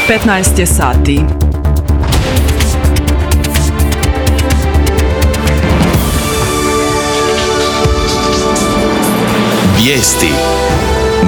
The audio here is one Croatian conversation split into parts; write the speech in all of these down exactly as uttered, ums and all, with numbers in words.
petnaest je sati. Vijesti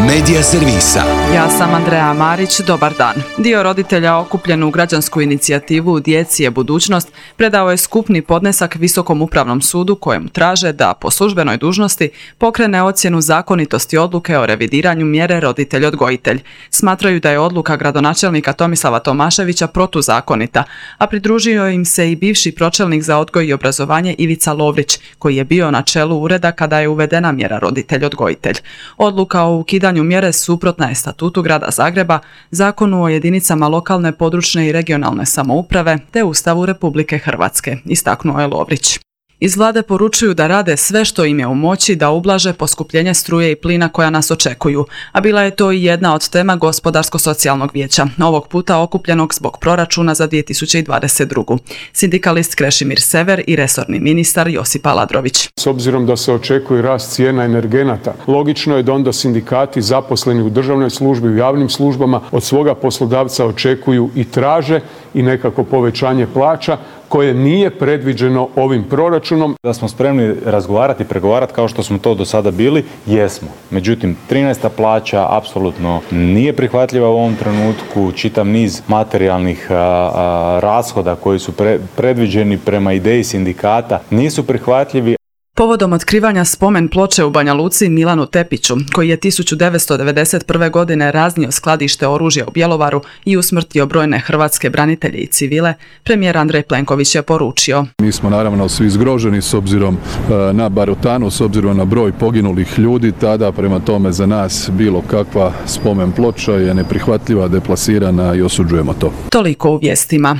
Medija servisa. Ja sam Andreja Marić, dobar dan. Dio roditelja okupljen u građansku inicijativu Djeci je budućnost predao je skupni podnesak Visokom upravnom sudu kojem traže da po službenoj dužnosti pokrene ocjenu zakonitosti odluke o revidiranju mjere roditelj-odgojitelj. Smatraju da je odluka gradonačelnika Tomislava Tomaševića protuzakonita, a pridružio im se i bivši pročelnik za odgoj i obrazovanje Ivica Lovrić, koji je bio na čelu ureda kada je uvedena mjera roditelj-odgojitelj. Odluka o ukidanju mjere suprotna je statutu Grada Zagreba, Zakonu o jedinicama lokalne, područne i regionalne samouprave te Ustavu Republike Hrvatske, istaknuo je Lovrić. Iz vlade poručuju da rade sve što im je u moći da ublaže poskupljenje struje i plina koja nas očekuju, a bila je to i jedna od tema Gospodarsko-socijalnog vijeća, ovog puta okupljenog zbog proračuna za dvije tisuće dvadeset drugu. Sindikalist Krešimir Sever i resorni ministar Josip Aladrović. S obzirom da se očekuje rast cijena energenata, logično je da onda sindikati zaposleni u državnoj službi, u javnim službama od svoga poslodavca očekuju i traže i nekako povećanje plaća koje nije predviđeno ovim proračunom. Da smo spremni razgovarati i pregovarati kao što smo to do sada bili, jesmo. Međutim, trinaesta plaća apsolutno nije prihvatljiva u ovom trenutku. Čitav niz materijalnih a, a, rashoda koji su pre, predviđeni prema ideji sindikata nisu prihvatljivi. Povodom otkrivanja spomen ploče u Banja Luci Milanu Tepiću, koji je tisuću devetsto devedeset prve. godine raznio skladište oružja u Bjelovaru i usmrtio brojne hrvatske branitelje i civile, premijer Andrej Plenković je poručio. Mi smo naravno svi zgroženi s obzirom na barutanu, s obzirom na broj poginulih ljudi, tada prema tome za nas bilo kakva spomen ploča je neprihvatljiva, deplasirana i osuđujemo to. Toliko u vijestima.